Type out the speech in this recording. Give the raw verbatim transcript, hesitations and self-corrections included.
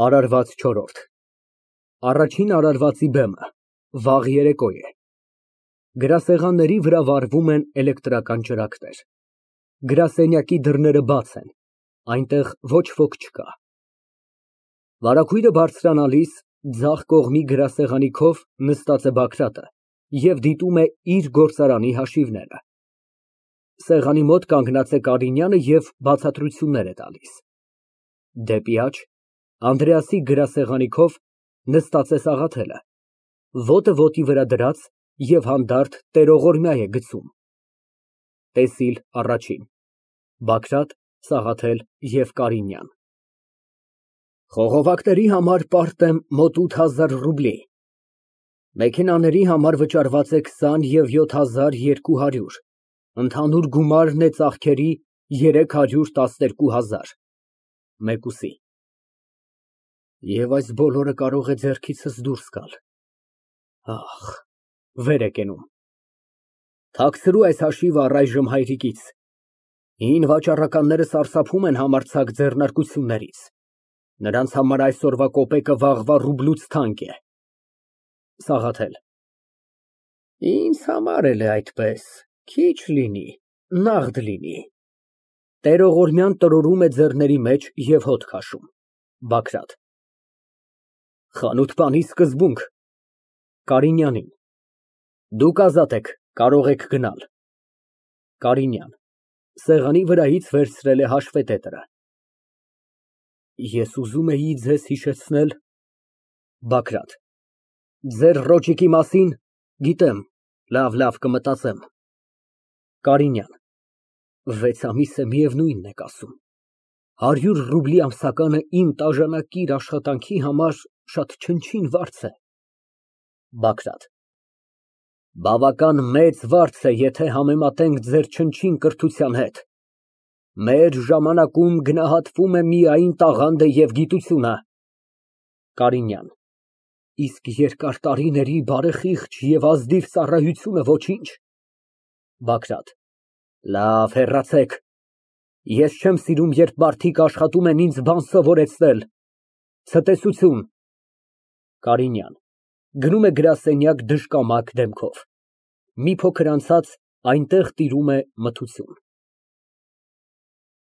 ԱՐԱՐՎԱԾ ՉՈՐՐՈՐԴ Առաջին արարվածի բեմը, վաղ երեկո է, գրասեղանների վրա վառվում են էլեկտրական ճրագներ, գրասենյակի դռները բաց են, այնտեղ ոչ ոք չկա։ Վարագույրը բարձրանալիս ձախ կողմի գրասեղանի քով նստած է Բագրատը և դիտում է իր գործարանի հաշիվները։ Սեղանի մոտ կանգնած է Կարինյանը և բացատրություններ է տալիս։ Դեպի աջ, Անդրեասի գրասեղանի քով նստած է Սաղաթելը, ոտը ոտի վրա դրած և հանդարտ տերողորմյա է գցում։ ՏԵՍԻԼ ԱՌԱՋԻՆ ԲԱԳՐԱՏ, ՍԱՂԱԹԵԼ և ԿԱՐԻՆՅԱՆ Խողովակների համար պարտ եմ մոտ ութ հազար ռուբլի, մեքենաների համար վճարված է քսան և յոթ հազար երկու հարյուր, ընդհանուր գումարն է ծախքերի երեք հարյուր տասներկու հազար (Մեկուսի) Եվ այս բոլորը կարող է ձեռքիցս դուրս գալ, ախ, վեր է կենում։ Թաքցրու այս հաշիվը առայժմ հայրիկից, հին վաճառականները սարսափում են համարձակ ձեռնարկություններից, նրանց համար այսօրվա կոպեկը վաղվա ռուբլուց թանկ է։ ՍԱՂԱԹԵԼ Ինձ համար էլ է այդպես, քիչ լինի, նաղդ լինի։ (Տերողորմյան տրորում է ձեռքերի մեջ և հոտ քաշում)։ ԲԱԳՐԱՏ Խանութպանի սկզբունք։ (Կարինյանին) Դուք ազատ եք, կարող եք գնալ։ ԿԱՐԻՆՅԱՆ ֊ (Սեղանի վրայից վերցրել է հաշվետետրը) Ես ուզում էի ձեզ հիշեցնել… ԲԱԳՐԱՏ ֊ Ձեր ռոճիկի մասին… գիտեմ, լավ, լավ, կմտածեմ։ ԿԱՐԻՆՅԱՆ ֊ Վեց ամիս է, միևնույնն եք ասում, հարյուր ռուբլի ամսականը իմ տաժանակիր աշխատանքի համար շատ չնչին վարձ է։ ԲԱԳՐԱՏ ֊ Բավական մեծ վարձ է, եթե համեմատենք ձեր չնչին կրթության հետ։ Մեր ժամանակում գնահատվում է միայն տաղանդը և գիտությունը։ ԿԱՐԻՆՅԱՆ ֊ Իսկ երկար տարիների բարեխիղճ և ազնիվ ծառայությունը ոչի՞նչ։ ԲԱԳՐԱՏ ֊ Լավ, հեռացեք, ես չեմ սիրում, երբ մարդիկ աշխատում են ինձ բան սովորեցնել։ Ցտեսություն։ ԿԱՐԻՆՅԱՆ ֊ (Գնում է գրասենյակ դժկամակ դեմքով։ Մի փոքր անցած այնտեղ տիրում է մթություն)։